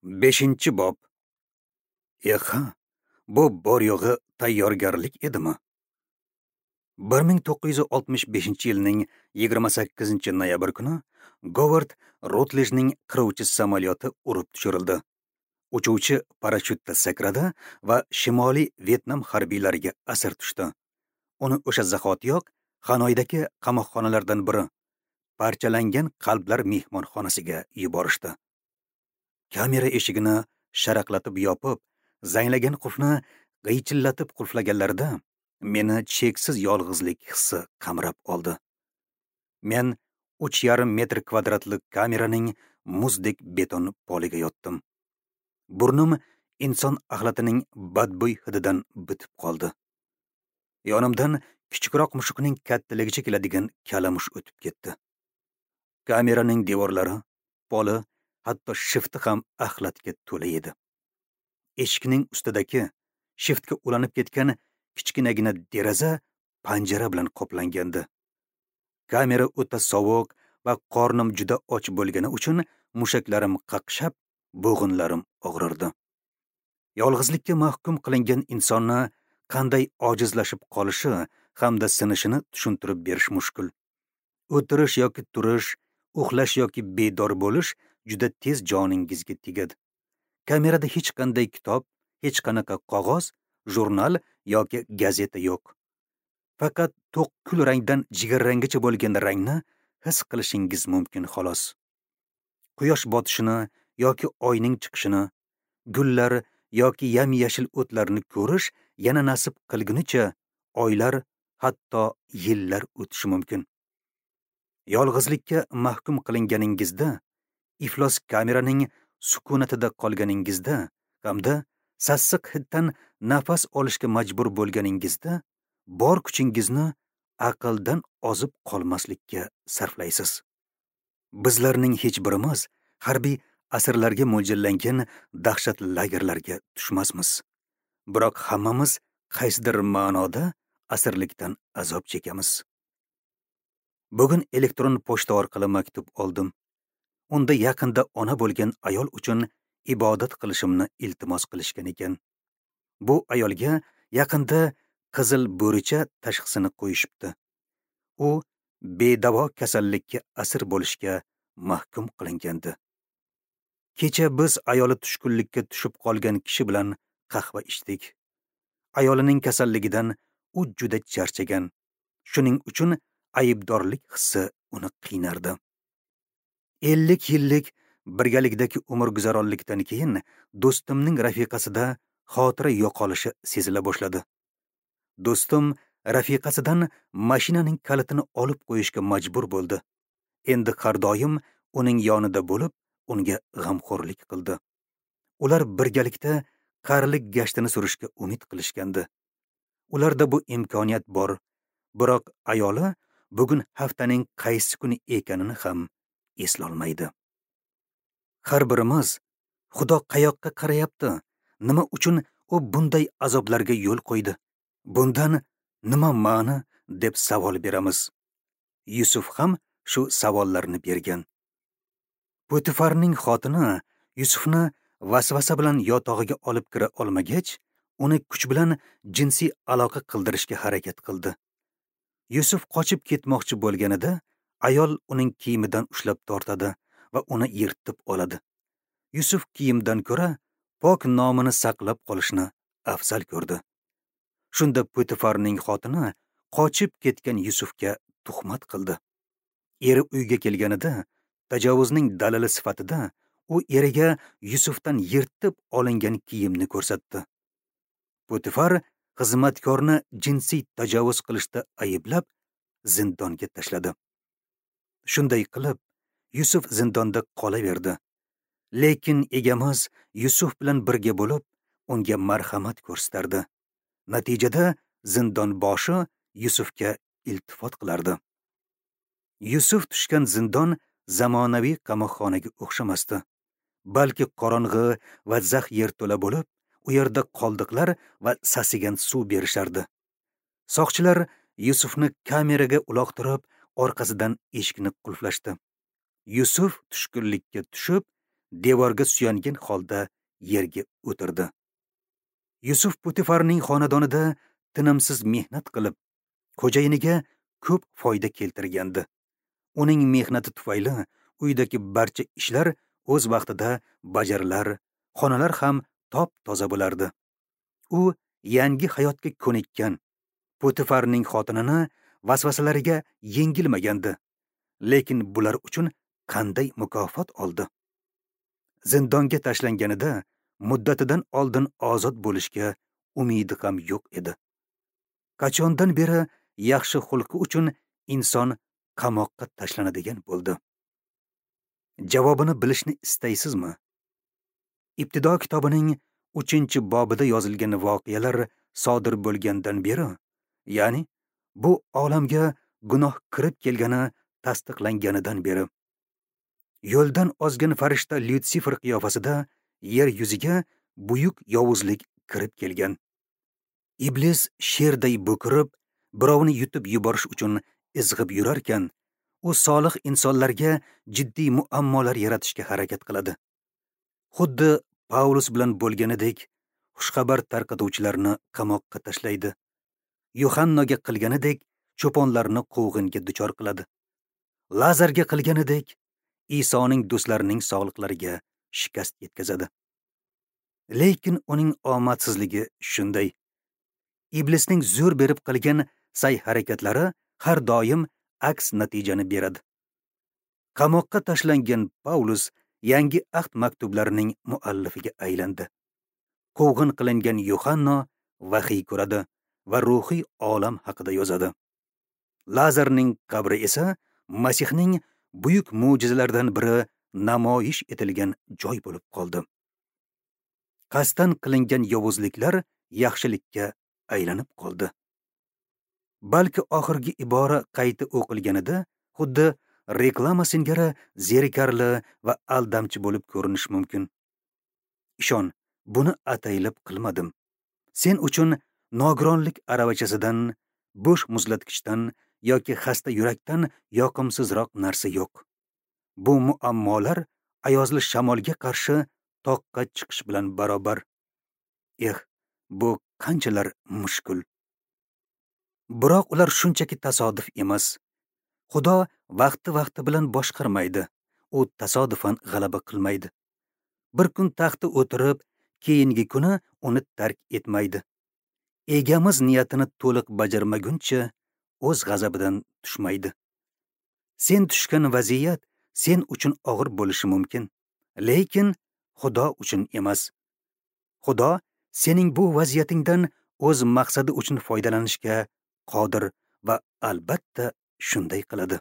5-bob. Eha, bu bor yo'g'i tayyorgarlik edimi? 1965-yilning 28-noyabr kuni Govard Rutlejning qiruvchi samolyoti urib tushirildi. Uchuvchi parashyutda sakradi va Shimoliy Vyetnam harbiylariga asir tushdi. Uni o'sha zahotiyoq Xanoydagi qamoqxonalardan biri, parchalangan qalblar mehmonxonasiga yuborishdi. Kamera eshigini sharaqlatib yopib, zanglagan qulfni g'iychillatib qulflaganlarida meni cheksiz yolg'izlik hissi qamrab oldi. Men 3,5 metr kvadratlik kameraning muzdek beton poliga yotdim. Burnim inson axlatining badbo'y hididan bitib qoldi. Yonimdan kichikroq mushukning kattaligicha keladigan kalamush o'tib ketdi. Kameraning devorlari, poli, hatto shifti ham axlatga to'la edi. Eshikning ustidagi shiftga ulanib ketgan kichkinagina deraza panjara bilan qoplangandi. Kamera o'ta sovuq va qornim juda och bo'lgani uchun mushaklarim qaqshab, bo'g'inlarim og'rirdi. Yolg'izlikka mahkum qilingan insonni qanday ojizlashib qolishi hamda sinishini tushuntirib berish mushkul. O'tirish yoki turish, uxlash yoki bedor bo'lish juda tez joningizga tegadi. Kamerada hech qanday kitob, hech qanaqa qog'oz, jurnal yoki gazeta yo'q. Faqat to'q kul rangdan jigarranggacha bo'lgan rangni his qilishingiz mumkin xolos. Quyosh botishini yoki oyning chiqishini, gullar yoki yam-yashil o'tlarni ko'rish yana nasib qilgunicha oylar, hatto yillar o'tishi mumkin. Yolg'izlikka mahkum qilinganingizda, iflos kameraning sukunatida qolganingizda hamda sassiq hiddan nafas olishga majbur bo'lganingizda bor kuchingizni aqldan ozib qolmaslikka sarflaysiz. Bizlarning hech birimiz harbiy asirlarga mo'ljallangan dahshatli lagerlarga tushmasmiz. Biroq hammamiz qaysidir ma'noda asirlikdan azob chekamiz. Bugun elektron pochta orqali maktub oldim. Unda yaqinda ona bo'lgan ayol uchun ibodat qilishimni iltimos qilishgan ekan. Bu ayolga yaqinda qizil bo'richa tashxisini qo'yishibdi. U bedavo kasallikka asir bo'lishga mahkum qilingandi. Kecha biz ayoli tushkunlikka tushib qolgan kishi bilan qahva ichdik. Ayolining kasalligidan u juda charchagan. Shuning uchun aybdorlik hissi uni qiynardi. 50 yillik birgalikdagi umrguzaronlikdan keyin do'stimning rafiqasida xotira yo'qolishi sezila boshladi. Do'stim rafiqasidan mashinaning kalitini olib qo'yishga majbur bo'ldi. Endi har doim uning yonida bo'lib, unga g'amxo'rlik qildi. Ular birgalikda qarilik gashtini surishga umid qilishgandi. Ularda bu imkoniyat bor, biroq ayoli bugun haftaning qaysi kuni ekanini ham eslolmaydi. Har birimiz Xudo qayoqqa qarayapti? Nima uchun u bunday azoblarga yo'l qo'ydi? Bundan nima ma'ni deb savol beramiz. Yusuf ham shu savollarni bergan. Potifarning xotini Yusufni vasvasa bilan yotog'iga olib kira olmagach, uni kuch bilan jinsiy aloqa qildirishga harakat qildi. Yusuf qochib ketmoqchi bo'lganida, ayol uning kiyimidan ushlab tortadi va uni yirtib oladi. Yusuf kiyimdan ko'ra pok nomini saqlab qolishni afzal ko'rdi. Shunda Potifarning xotini qochib ketgan Yusufga tuhmat qildi. Eri uyga kelganida tajovuzning dalili sifatida u eriga Yusufdan yirtib olingan kiyimni ko'rsatdi. Potifar xizmatkorni jinsiy tajovuz qilishda ayblab zindonga tashladi. Shunday qilib Yusuf zindonda qolaverdi. Lekin egamiz Yusuf bilan birga bo'lib, unga marhamat ko'rsatardi. Natijada zindon boshi Yusufga iltifot qilardi. Yusuf tushgan zindon zamonaviy qamoqxonaga o'xshamasdi, balki qorong'i va zax yerto'la bo'lib, u yerda qoldiqlar va sasigan suv berishardi. Soqchilar Yusufni kameraga uloqtirib, orqasidan eshikni qulflashdi. Yusuf tushkunlikka tushib, devorga suyangan holda yerga o'tirdi. Yusuf Potifarning xonadonida tinimsiz mehnat qilib, xo'jayiniga ko'p foyda keltirgandi. Uning mehnati tufayli uydagi barcha ishlar o'z vaqtida bajarilar, xonalar ham top-toza bo'lardi. U yangi hayotga ko'nikkan, Potifarning xotinini vasvasalariga yengilmagandi. Lekin bular uchun qanday mukofot oldi? Zindonga tashlanganida muddatidan oldin ozod bo'lishga umidi ham yo'q edi. Qachondan beri yaxshi xulqi uchun inson qamoqqa tashlanadigan bo'ldi? Javobini bilishni istaysizmi? Ibtido kitobining 3-bobida yozilgan voqealar sodir bo'lgandan beri, ya'ni bu olamga gunoh kirib kelgani tasdiqlanganidan beri, yo'ldan ozgan farishta Lyutsifer qiyofasida yer yuziga buyuk yovuzlik kirib kelgan. Iblis sherday bo'kirib, birovni yutib yuborish uchun izg'ib yurarkan, u solih insonlarga jiddiy muammolar yaratishga harakat qiladi. Xuddi Paulus bilan bo'lganidek, xushxabar tarqatuvchilarni qamoqqa tashlaydi. Yohannoga qilganidek, cho'ponlarni quvg'inga duchor qiladi. Lazarga qilganidek, Isoning do'stlarining sog'liqlariga shikast yetkazadi. Lekin uning omadsizligi shunday. Iblisning zo'r berib qilgan sa'y-harakatlari har doim aks natijani beradi. Qamoqqa tashlangan Paulus yangi ahd maktublarining muallifiga aylandi. Quvg'in qilingan Yohanno vahiy ko'radi va ruhiy olam haqida yozadi. Lazarning qabri esa Masihning buyuk mo'jizalaridan biri namoyish etilgan joy bo'lib qoldi. Qasddan qilingan yovuzliklar yaxshilikka aylanib qoldi. Balki oxirgi ibora qayta o'qilganida xuddi reklama singari zerikarli va aldamchi bo'lib ko'rinishi mumkin. Ishon, buni ataylab qilmadim. Sen uchun nogironlik aravachasidan, bo'sh muzlatgichdan yoki xasta yurakdan yoqimsizroq narsa yo'q. Bu muammolar ayozli shamolga qarshi toqqa chiqish bilan barobar. Eh, bu qanchalar mushkul. Biroq ular shunchaki tasodif emas. Xudo vaqti-vaqti bilan boshqarmaydi. U tasodifan g'alaba qilmaydi. Bir kun taxtda o'tirib, keyingi kuni uni tark etmaydi. Egamiz niyatini to'liq bajarmaguncha o'z g'azabidan tushmaydi. Sen tushgan vaziyat sen uchun og'ir bo'lishi mumkin, lekin Xudo uchun emas. Xudo sening bu vaziyatingdan o'z maqsadi uchun foydalanishga qodir va albatta shunday qiladi.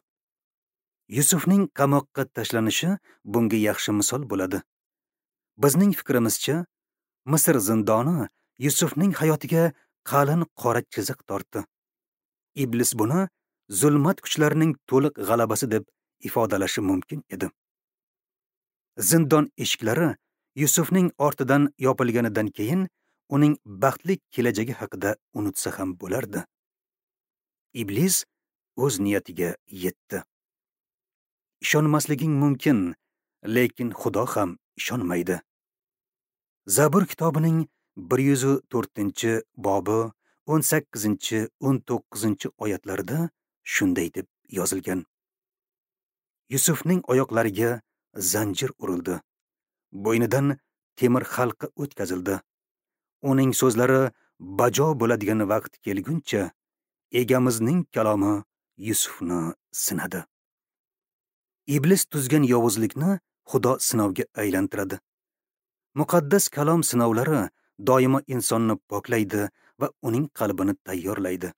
Yusufning qamoqqa tashlanishi bunga yaxshi misol bo'ladi. Bizning fikrimizcha, Misr zindoni Yusufning hayotiga qalin qora chiziq tortdi. Iblis buni zulmat kuchlarining to'liq g'alabasi deb ifodalashi mumkin edi. Zindon eshiklari Yusufning ortidan yopilganidan keyin uning baxtli kelajagi haqida unutsa ham bo'lardi. Iblis o'z niyatiga yetdi. Ishonmasliging mumkin, lekin Xudo ham ishonmaydi. Zabur kitobining 104-bobi 18-19 oyatlarida shunday deb yozilgan. Yusufning oyoqlariga zanjir urildi. Bo'ynidan temir halqa o'tkazildi. Uning so'zlari bajo bo'ladigan vaqt kelguncha Egamizning kalomi Yusufni sinadi. Iblis tuzgan yovuzlikni Xudo sinovga aylantiradi. Muqaddas kalom sinovlari doimo insonni poklaydi va uning qalbini tayyorlaydi.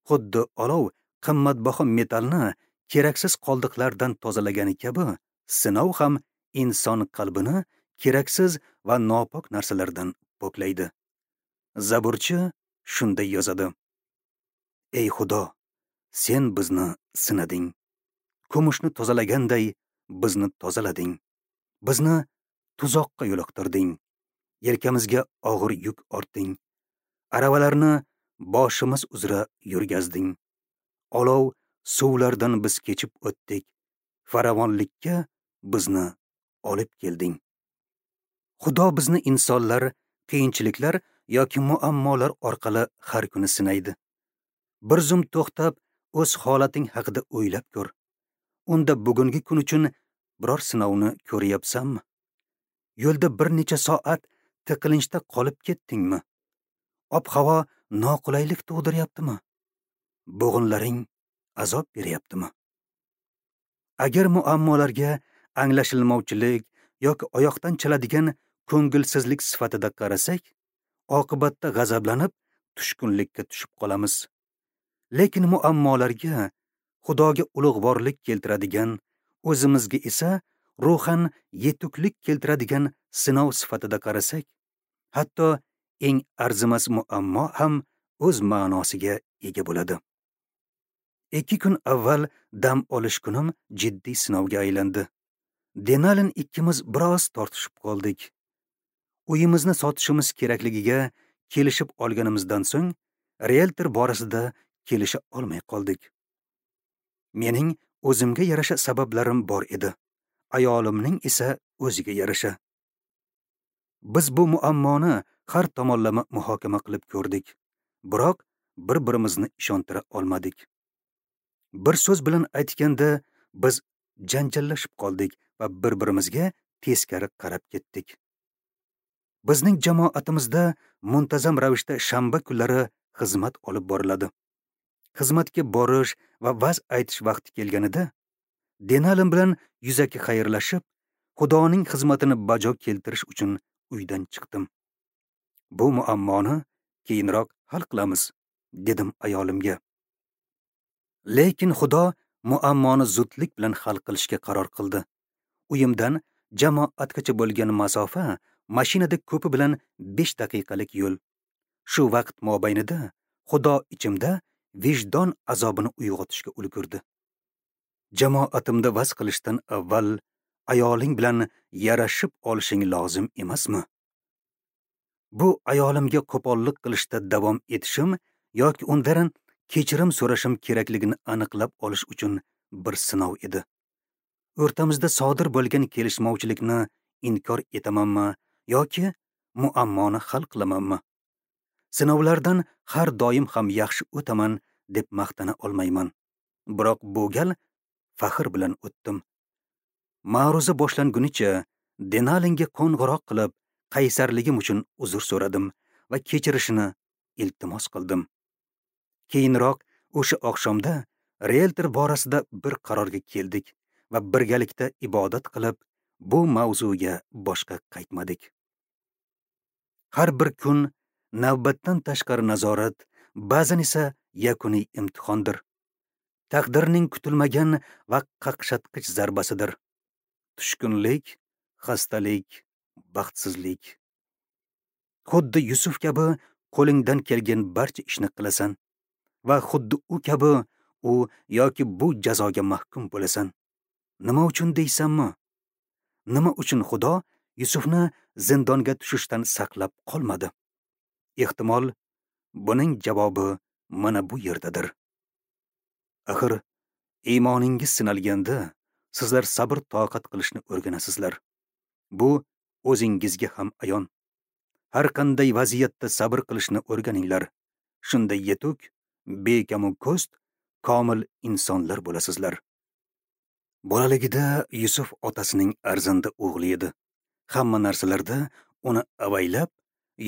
Xuddi olov qimmatbaho metallni keraksiz qoldiqlardan tozalagani kabi, sinov ham inson qalbini keraksiz va nopok narsalardan poklaydi. Zaburchi shunday yozadi: Ey Xudo, sen bizni sinading. Kumushni tozalaganday bizni tozalading. Bizni tuzoqqa yo'liqtirding. Yelkamizga og'ir yuk ortding. Aravalarni boshimiz uzra yurgazding. Olov suvlardan biz kechib o'tdik. Farovonlikka bizni olib kelding. Xudo bizni insonlar, qiyinchiliklar yoki muammolar orqali har kuni sinaydi. Bir zum to'xtab, o'z holating haqida o'ylab ko'r. Unda bugungi kun uchun biror sinovni ko'ryapsanmi? Yo'lda bir necha soat tiqilinchda qolib ketdingmi? Ob-havo noqulaylik tug'diryaptimi? Bo'g'inlaring azob beryaptimi? Agar muammolarga anglashilmovchilik yoki oyoqdan chaladigan ko'ngilsizlik sifatida qarasak, oqibatda g'azablanib, tushkunlikka tushib qolamiz. Lekin muammolarga Xudoga ulug'vorlik keltiradigan, o'zimizga esa ruhan yetuklik keltiradigan sinov sifatida qarasak, hatto eng arzimas muammo ham o'z ma'nosiga ega bo'ladi. 2 kun avval dam olish kunim jiddiy sinovga aylandi. Denalin ikkimiz biroz tortishib qoldik. Uyimizni sotishimiz kerakligiga kelishib olganimizdan so'ng rieltor borasida kelisha olmay qoldik. Mening o'zimga yarasha sabablarim bor edi. Ayolimning esa o'ziga yarasha. Biz bu muammoni har tomonlama muhokama qilib ko'rdik. Biroq bir-birimizni ishontira olmadik. Bir so'z bilan aytganda, biz janjallashib qoldik va bir-birimizga teskari qarab ketdik. Bizning jamoatimizda muntazam ravishda shanba kunlari xizmat olib boriladi. Xizmatga borish va va'z aytish vaqti kelganida Denalin bilan yuzaki xayrlashib, Xudoning xizmatini bajo keltirish uchun uydan chiqdim. Bu muammoni keyinroq hal qilamiz, dedim ayolimga. Lekin Xudo muammoni zudlik bilan hal qilishga qaror qildi. Uyimdan jamoatgacha bo'lgan masofa mashinada ko'pi bilan 5 daqiqalik yo'l. Shu vaqt mobaynida Xudo ichimda vijdon azobini uyg'otishga ulgurdi. Jamoatimda vaz qilishdan avval ayoling bilan yarashib olishing lozim emasmi? Bu ayolimga qo'pollik qilishda davom etishim yoki undan kechirim so'rashim kerakligini aniqlab olish uchun bir sinov edi. O'rtamizda sodir bo'lgan kelishmovchilikni inkor etamanmi yoki muammoni hal qilamanmi? Sinovlardan har doim ham yaxshi o'taman deb maqtana olmayman. Biroq bu gal faxr bilan o'tdim. Ma'ruza boshlangunicha Denalinga qo'ng'iroq qilib, qaysarligim uchun uzr so'radim va kechirishini iltimos qildim. Keyinroq o'sha oqshomda rieltor borasida bir qarorga keldik va birgalikda ibodat qilib, bu mavzuga boshqa qaytmadik. Har bir kun navbatdan tashqari nazorat, ba'zan esa yakuniy imtihondir. Taqdirning kutilmagan va qaqshatqich zarbasidir. Tushkunlik, xastalik, baxtsizlik. Xuddi Yusuf kabi qo'lingdan kelgan barcha ishni qilasan va xuddi u kabi u yoki bu jazoga mahkum bo'lasan. Nima uchun deysanmi? Nima uchun Xudo Yusufni zindonga tushishdan saqlab qolmadi? Ehtimol, buning javobi mana bu yerdadir. Axir, iymoningiz sinalganda sizlar sabr toqat qilishni o'rganasizlar. Bu o'zingizga ham ayon. Har qanday vaziyatda sabr qilishni o'rganinglar. Shunda yetuk, bekamu ko'st, komil insonlar bo'lasizlar. Bolaligida Yusuf otasining arzanda o'g'li edi. Hamma narsalarda uni avaylab,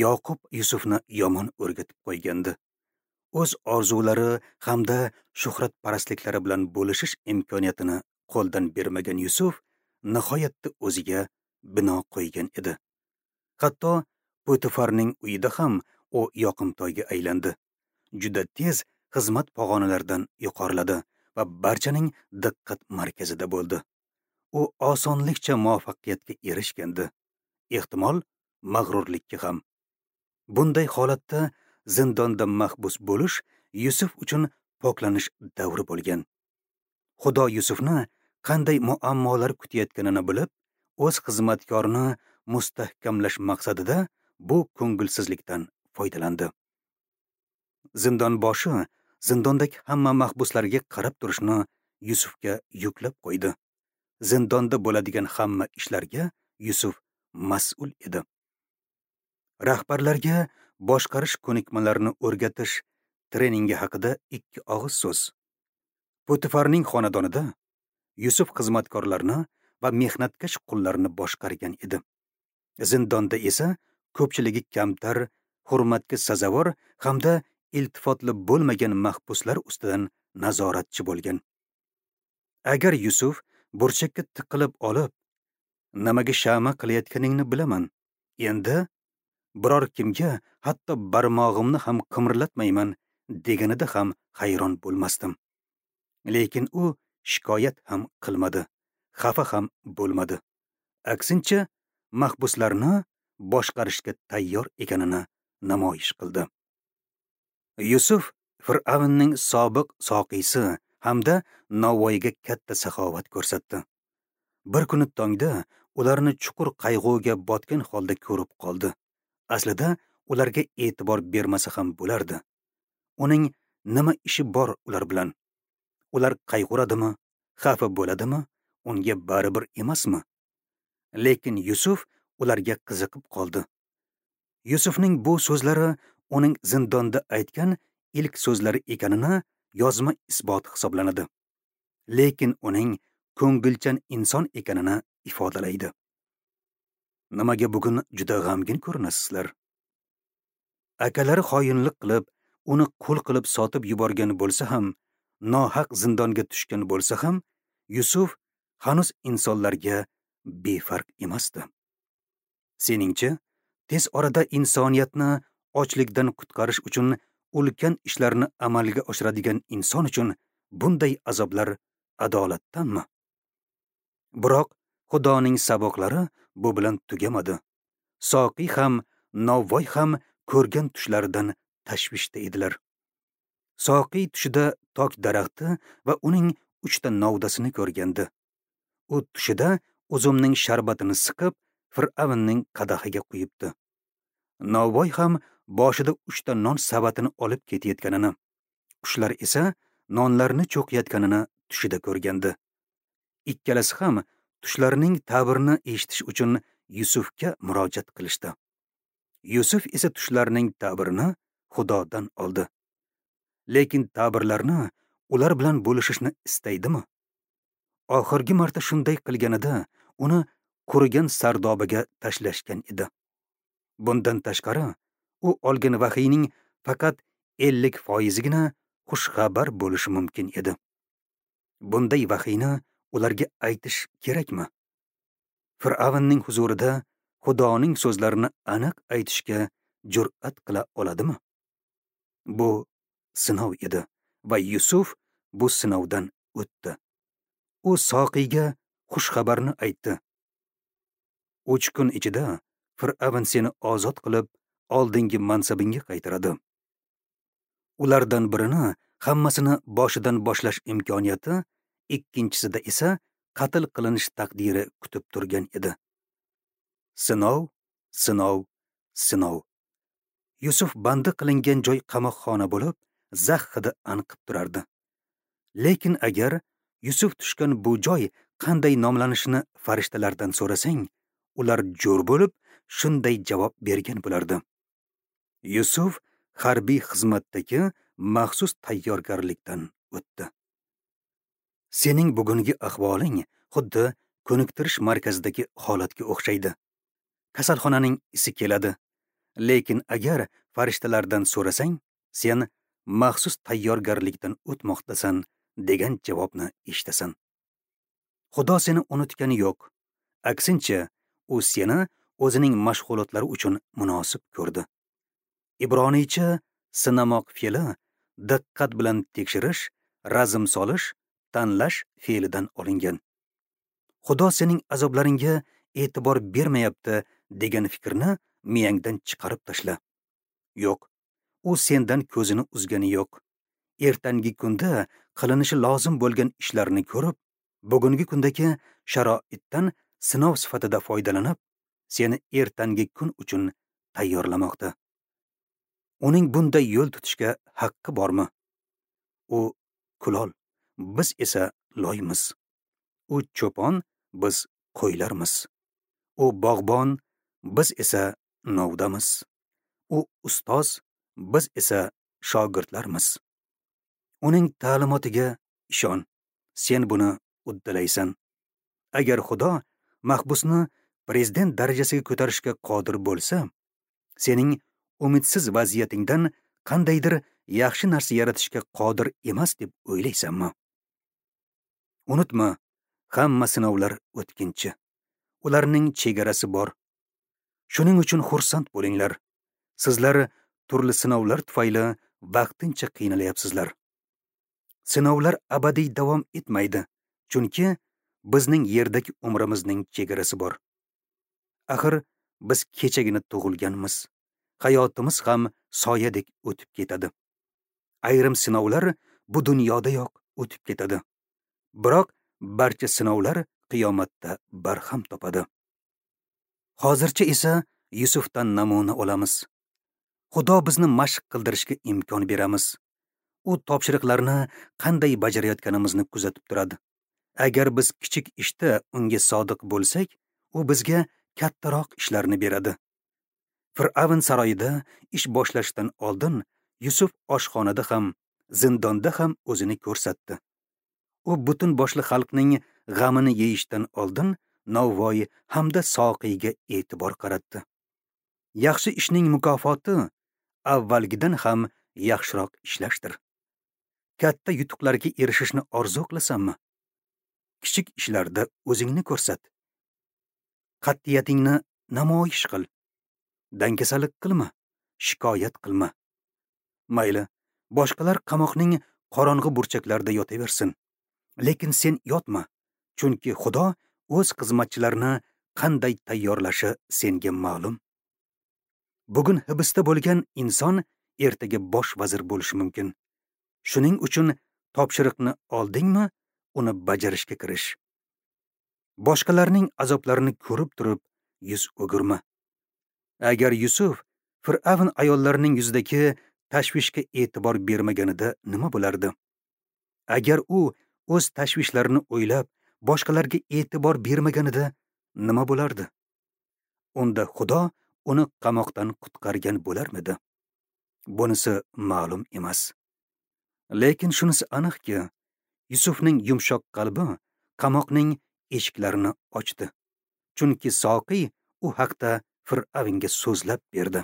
Yoqub Yusufni yomon o'rgatib qo'ygandi. O'z orzulari hamda shuhratparastliklari bilan bo'lishish imkoniyatini qo'ldan bermagan Yusuf nihoyatda o'ziga bino qo'ygan edi. Hatto Potifarning uyida ham u yoqimtoyga aylandi. Juda tez xizmat pog'onalaridan yuqoriladi va barchaning diqqat markazida bo'ldi. U osonlikcha muvaffaqiyatga erishgandi. Ehtimol, mag'rurlikka ham. Bunday holatda zindonda mahbus bo'lish Yusuf uchun poklanish davri bo'lgan. Xudo Yusufni qanday muammolar kutayotganini bilib, o'z xizmatkorini mustahkamlash maqsadida bu ko'ngilsizlikdan foydalandi. Zindon boshi zindondagi hamma mahbuslarga qarab turishni Yusufga yuklab qo'ydi. Zindonda bo'ladigan hamma ishlarga Yusuf mas'ul edi. Rahbarlarga boshqarish ko'nikmalarini o'rgatish treningi haqida 2 og'iz so'z. Potifarning xonadonida Yusuf xizmatkorlarni va mehnatkash qullarni boshqargan edi. Zindonda esa ko'pchiligi kamtar, hurmatga sazovor hamda iltifotli bo'lmagan mahbuslar ustidan nazoratchi bo'lgan. Agar Yusuf burchakka tiqilib olib, nimaga shama qilayotganingni bilaman, endi biror kimga hatto barmog'imni ham qimirlatmayman deganida ham hayron bo'lmasdim. Lekin u shikoyat ham qilmadi, xafa ham bo'lmadi. Aksincha, mahbuslarni boshqarishga tayyor ekanini namoyish qildi. Yusuf Fir'avnning sobiq soqiysi hamda Navoiyga katta saxovat ko'rsatdi. Bir kuni tongda ularni chuqur qayg'uga botgan holda ko'rib qoldi. Aslida ularga e'tibor bermasa ham bo'lardi. Uning nima ishi bor ular bilan? Ular qayg'uradimi, xafa bo'ladimi, unga baribir emasmi? Lekin Yusuf ularga qiziqib qoldi. Yusufning bu so'zlari uning zindonda aytgan ilk so'zlari ekanini yozma isbot hisoblanadi. Lekin uning ko'ngilchan inson ekanini ifodalaydi. Nimaga bugun juda g'amgin ko'rinasizlar? Akalari xoinlik qilib, uni qul qilib sotib yuborgan bo'lsa ham, nohaq zindonga tushgan bo'lsa ham, Yusuf hanuz insonlarga befarq emasdi. Seningcha, tez orada insoniyatni ochlikdan qutqarish uchun ulkan ishlarni amalga oshiradigan inson uchun bunday azoblar adolatdanmi? Biroq Xudoning saboqlari bu bilan tugamadi. Soqiy ham, Navoiy ham ko'rgan tushlaridan tashvishda edilar. Soqiy tushida tok daraxti va uning 3 ta novdasini ko'rgandi. U tushida uzumning sharbatini siqib, Fir'avnning qadahiga quyibdi. Navoiy ham boshida 3 ta non savatini olib ketayotganini, qushlar esa nonlarni cho'qiyotganini tushida ko'rgandi. Ikkalasi ham tushlarining ta'birini eshitish uchun Yusufga murojaat qilishdi. Yusuf esa tushlarining ta'birini Xudodan oldi. Lekin ta'birlarni ular bilan bo'lishishni istaydimi? Oxirgi marta shunday qilganida uni qurigan sardobaga tashlashgan edi. Bundan tashqari, u olgan vahiyning faqat 50%gina xushxabar bo'lishi mumkin edi. Bunday vahiyni ularga aytish kerakmi? Fir'avnning huzurida Xudoning so'zlarini aniq aytishga jur'at qila oladimi? Bu sinov edi va Yusuf bu sinovdan o'tdi. U soqiyga xushxabarni aytdi. 3 kun ichida Fir'avn seni ozod qilib, oldingi mansabingga qaytaradi. Ulardan birini hammasini boshidan boshlash imkoniyati, ikkinchisida esa qatl qilinish taqdiri kutib turgan edi. Sinov, sinov, sinov. Yusuf bandi qilingan joy qamoqxona bo'lib, zax hidi anqib turardi. Lekin agar Yusuf tushgan bu joy qanday nomlanishini farishtalardan so'rasang, ular jo'r bo'lib shunday javob bergan bo'lardi. Yusuf harbiy xizmatdagi maxsus tayyorgarlikdan o'tdi. Sening bugungi ahvoling xuddi ko'niktirish markazidagi holatga o'xshaydi. Kasalxonaning isi keladi. Lekin agar farishtalardan so'rasang, sen maxsus tayyorgarlikdan o'tmoqdasan degan javobni eshitasan. Xudo seni unutgani yo'q. Aksincha, u seni o'zining mashg'ulotlari uchun munosib ko'rdi. Ibroniycha sinamoq fe'li diqqat bilan tekshirish, razm solish, tanlash fe'lidan olingan. Xudo sening azoblaringga e'tibor bermayapti degan fikrni miyangdan chiqarib tashla. Yo'q, u sendan ko'zini uzgani yo'q. Ertangi kunda qilinishi lozim bo'lgan ishlarni ko'rib, bugungi kundagi sharoitdan sinov sifatida foydalanib, seni ertangi kun uchun tayyorlamoqda. Uning bunday yo'l tutishga haqqi bormi? U kulol, biz esa loymiz. U cho'pon, biz qo'ylarmiz. U bog'bon, biz esa novdamiz. U ustoz, biz esa shogirdlarmiz. Uning ta'limotiga ishon, sen buni uddalaysan. Agar Xudo mahbusni prezident darajasiga ko'tarishga qodir bo'lsa, sening umidsiz vaziyatingdan qandaydir yaxshi narsa yaratishga qodir emas deb o'ylaysanmi? Unutma, hamma sinovlar o'tkinchi. Ularning chegarasi bor. Shuning uchun xursand bo'linglar. Sizlar turli sinovlar tufayli vaqtincha qiynalyapsizlar. Sinovlar abadiy davom etmaydi, chunki bizning yerdagi umrimizning chegarasi bor. Axir biz kechagina tug'ilganmiz. Hayotimiz ham soyadek o'tib ketadi. Ayrim sinovlar bu dunyodayoq o'tib ketadi. Biroq barcha sinovlar qiyomatda barham topadi. Hozircha esa Yusufdan namuna olamiz. Xudo bizni mashq qildirishga imkon beramiz. U topshiriqlarni qanday bajarayotganimizni kuzatib turadi. Agar biz kichik ishda unga sodiq bo'lsak, u bizga kattaroq ishlarni beradi. Fir'avn saroyida ish boshlashdan oldin Yusuf oshxonada ham, zindonda ham o'zini ko'rsatdi. U butun boshli xalqning g'amini yeyishdan oldin novvoy hamda soqiyga e'tibor qaratdi. Yaxshi ishning mukofoti avvalgidan ham yaxshiroq ishlashdir. Katta yutuqlarga erishishni orzu qilasanmi? Kichik ishlarda o'zingni ko'rsat. Qat'iyatingni namoyish qil. Dangasalik qilma, shikoyat qilma. Mayli, boshqalar qamoqning qorong'i burchaklarida yotaversin. Lekin sen yotma, chunki Xudo o'z xizmatchilarini qanday tayyorlashi senga ma'lum. Bugun hibsda bo'lgan inson ertaga bosh vazir bo'lishi mumkin. Shuning uchun topshiriqni oldingmi, uni bajarishga kirish. Boshqalarning azoblarini ko'rib turib, yuz o'girma. Agar Yusuf Fir'avn ayollarining yuzidagi tashvishga e'tibor bermaganida nima bo'lardi? Agar u o'z tashvishlarini o'ylab, boshqalarga e'tibor bermaganida nima bo'lardi? Unda Xudo uni qamoqdan qutqargan bo'larmidi? Bunisi ma'lum emas. Lekin shunisi aniqki, Yusufning yumshoq qalbi qamoqning eshiklarini ochdi. Chunki soqiy u haqda Fir'avnga so'zlab berdi.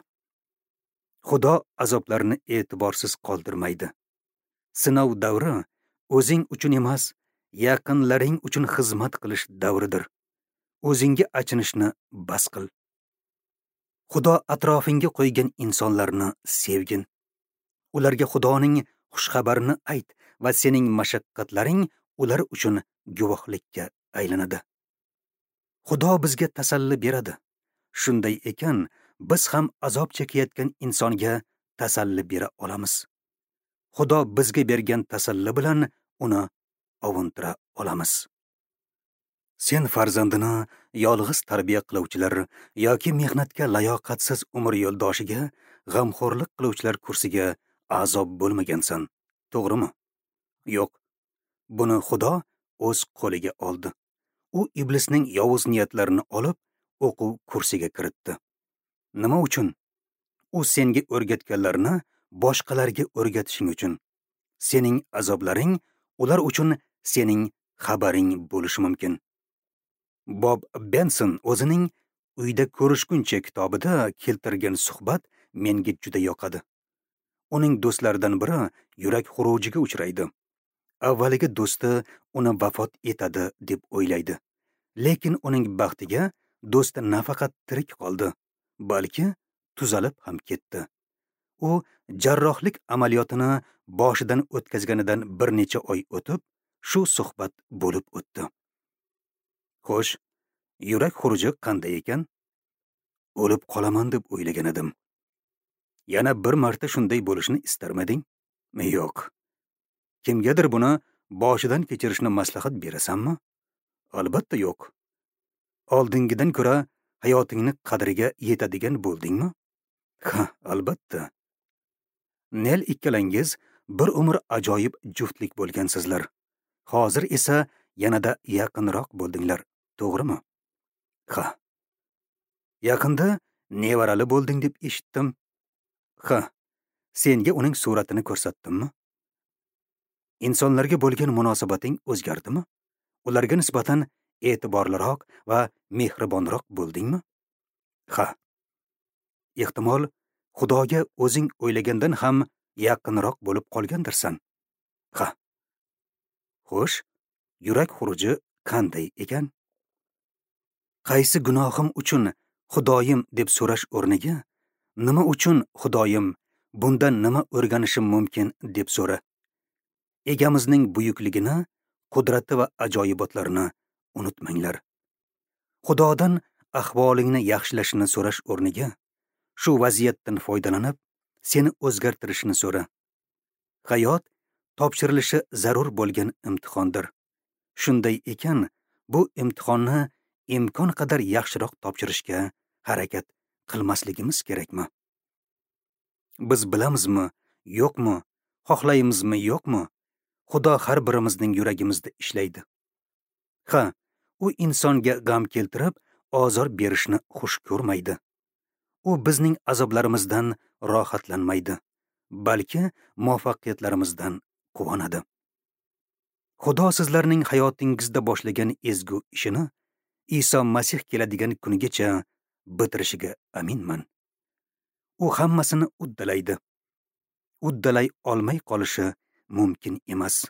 Xudo azoblarni e'tiborsiz qoldirmaydi. Sinov davri o'zing uchun emas, yaqinlaring uchun xizmat qilish davridir. O'zingga achinishni bas qil. Xudo atrofingga qo'ygan insonlarni sevgin. Ularga Xudoning xushxabarini ayt va sening mashaqqatlaring ular uchun guvohlikka aylanadi. Xudo bizga tasalli beradi. Shunday ekan, biz ham azob chekayotgan insonga tasalli bera olamiz. Xudo bizga bergan tasalli bilan uni ovuntira olamiz. Sen farzandini yolg'iz tarbiya qiluvchilar yoki mehnatga layoqatsiz umr yo'ldoshiga g'amxo'rlik qiluvchilar kursiga a'zo bo'lmagansan, to'g'rimi? Yo'q. Buni Xudo o'z qo'liga oldi. U iblisning yovuz niyatlarini olib, o'quv kursiga kiritdi. Nima uchun? U senga o'rgatganlarini boshqalarga o'rgatishing uchun. Sening azoblaring ular uchun sening xabaring bo'lishi mumkin. Bob Benson o'zining Uyda ko'rishguncha kitobida keltirgan suhbat menga juda yoqadi. Uning do'stlaridan biri yurak xurujiga uchraydi. Avvaliga do'sti uni vafot etadi deb o'ylaydi. Lekin uning baxtiga do'sti nafaqat tirik qoldi, balki tuzalib ham ketdi. U jarrohlik amaliyotini boshidan o'tkazganidan bir necha oy o'tib, shu suhbat bo'lib o'tdi. Xo'sh, yurak xuruji qanday ekan? O'lib qolaman deb o'ylagan edim. Yana bir marta shunday bo'lishini istarmiding? Yo'q. Kimgadir buni boshidan kechirishni maslahat berasanmi? Albatta yo'q. Oldingidan ko'ra hayotingni qadriga yetadigan bo'ldingmi? Ha, albatta. Nel ikkalangiz bir umr ajoyib juftlik bo'lgansizlar. Hozir esa yanada yaqinroq bo'ldinglar, To'g'rimi? Ha. Yaqinda nevarali bo'lding deb eshitdim. Ha. Senga uning suratini ko'rsatdimmi? Insonlarga bo'lgan munosabating o'zgardimi? Ularga nisbatan e'tiborliroq va mehribonroq bo'ldingmi? Ha. Ehtimol, Xudoga o'zing o'ylagandan ham yaqinroq bo'lib qolgandirsan. Ha. Xo'sh, yurak xuruji qanday ekan? Qaysi gunohim uchun Xudoyim deb so'rash o'rniga, nima uchun Xudoyim, bundan nima o'rganishim mumkin deb so'ra. Egamizning buyukligini, qudrati va ajoyibotlarini unutmanglar. Xudodan ahvolingni yaxshilashini so'rash o'rniga, shu vaziyatdan foydalanib, seni o'zgartirishini so'ra. Hayot topshirilishi zarur bo'lgan imtihondir. Shunday ekan, bu imtihonni imkon qadar yaxshiroq topshirishga harakat qilmasligimiz kerakmi? Biz bilamizmi, yo'qmi, xohlaymizmi, yo'qmi? Xudo har birimizning yuragimizda ishlaydi. Ha, u insonga g'am keltirib, ozor berishni xush ko'rmaydi. U bizning azoblarimizdan rohatlanmaydi, balki muvaffaqiyatlarimizdan quvonadi. Xudo sizlarning hayotingizda boshlagan ezgu ishini Iso Masih keladigan kunigacha bitirishiga aminman. U hammasini uddalaydi. Uddalay olmay qolishi mumkin emas.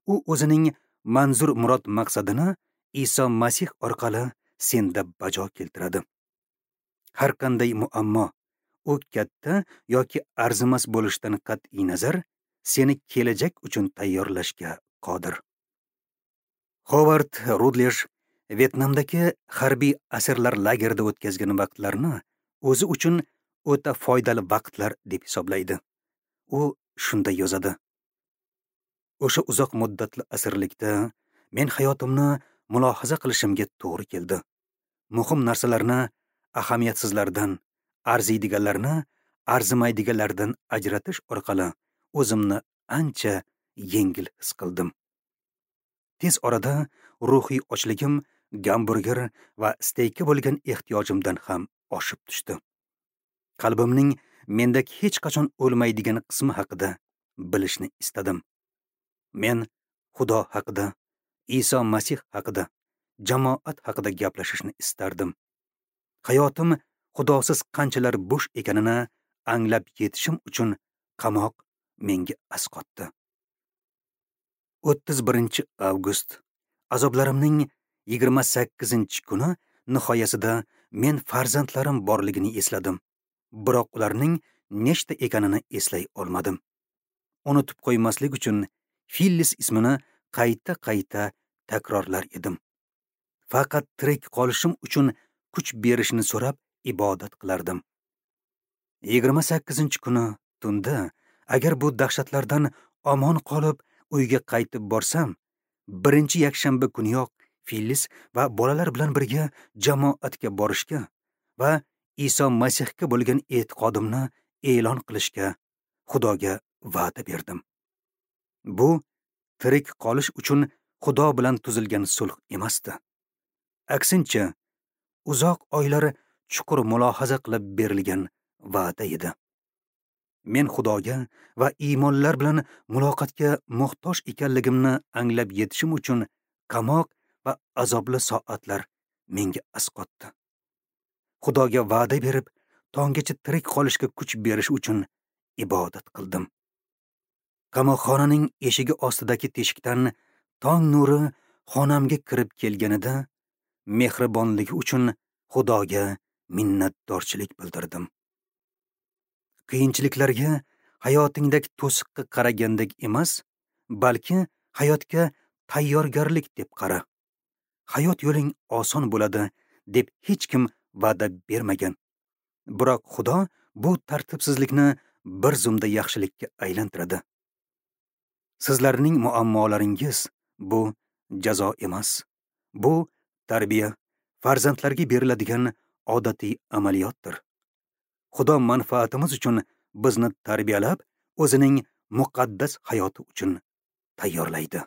U o'zining manzur murod maqsadini Iso Masih orqali senda bajo keltiradi. Har qanday muammo, u katta yoki arzimas bo'lishidan qat'iy nazar, seni kelajak uchun tayyorlashga qodir. Howard Rutledge Vyetnamdagi harbiy asirlar lagerida o'tkazgan vaqtlarini o'zi uchun o'ta foydali vaqtlar deb hisoblaydi. U shunday yozadi: O'sha uzoq muddatli asirlikda men hayotimni mulohaza qilishimga to'g'ri keldi. Muhim narsalarni ahamiyatsizlardan, arziydiganlarni arzimaydiganlardan ajratish orqali o'zimni ancha yengil his qildim. Tez orada ruhiy ochligim gamburger va steykka bo'lgan ehtiyojimdan ham oshib tushdi. Qalbimning mendagi hech qachon o'lmaydigan qismi haqida bilishni istadim. Men Xudo haqida, Iso Masih haqida, jamoat haqida gaplashishni istardim. Hayotim Xudosiz qanchalar bo'sh ekanini anglab yetishim uchun qamoq menga asqotdi. 31 avgust azoblarimning 28-kuni nihoyasida men farzandlarim borligini esladim. Biroq ularning nechta ekanini eslay olmadim. Unutib qo'ymaslik uchun Fillis ismini qayta-qayta takrorlar edim. Faqat tirik qolishim uchun kuch berishini so'rab ibodat qilardim. 28-kuni tunda agar bu dahshatlardan omon qolib uyga qaytib borsam, birinchi yakshanba kuniyoq Fillis va bolalar bilan birga jamoatga borishga va Iso Masihga bo'lgan e'tiqodimni e'lon qilishga Xudoga va'da berdim. Bu tirik qolish uchun Xudo bilan tuzilgan sulh emasdi. Aksincha, uzoq oylar chuqur mulohaza qilib berilgan va'da edi. Men Xudoga va iymonlar bilan muloqotga muhtoj ekanligimni anglab yetishim uchun qamoq va azobli soatlar menga asqotdi. Xudoga va'da berib, tonggacha tirik qolishga kuch berish uchun ibodat qildim. Qamoqxonaning eshigi ostidagi teshikdan tong nuri xonamga kirib kelganida mehribonligi uchun Xudoga minnatdorchilik bildirdim. Qiyinchiliklarga hayotingdagi to'siqqa qaragandek emas, balki hayotga tayyorgarlik deb qara. Hayot yo'ling oson bo'ladi deb hech kim va'da bermagan. Biroq Xudo bu tartibsizlikni bir zumda yaxshilikka aylantiradi. Sizlarning muammolaringiz bu jazo emas. Bu tarbiya, farzandlarga beriladigan odatiy amaliyotdir. Xudo manfaatimiz uchun bizni tarbiyalab, o'zining muqaddas hayoti uchun tayyorlaydi.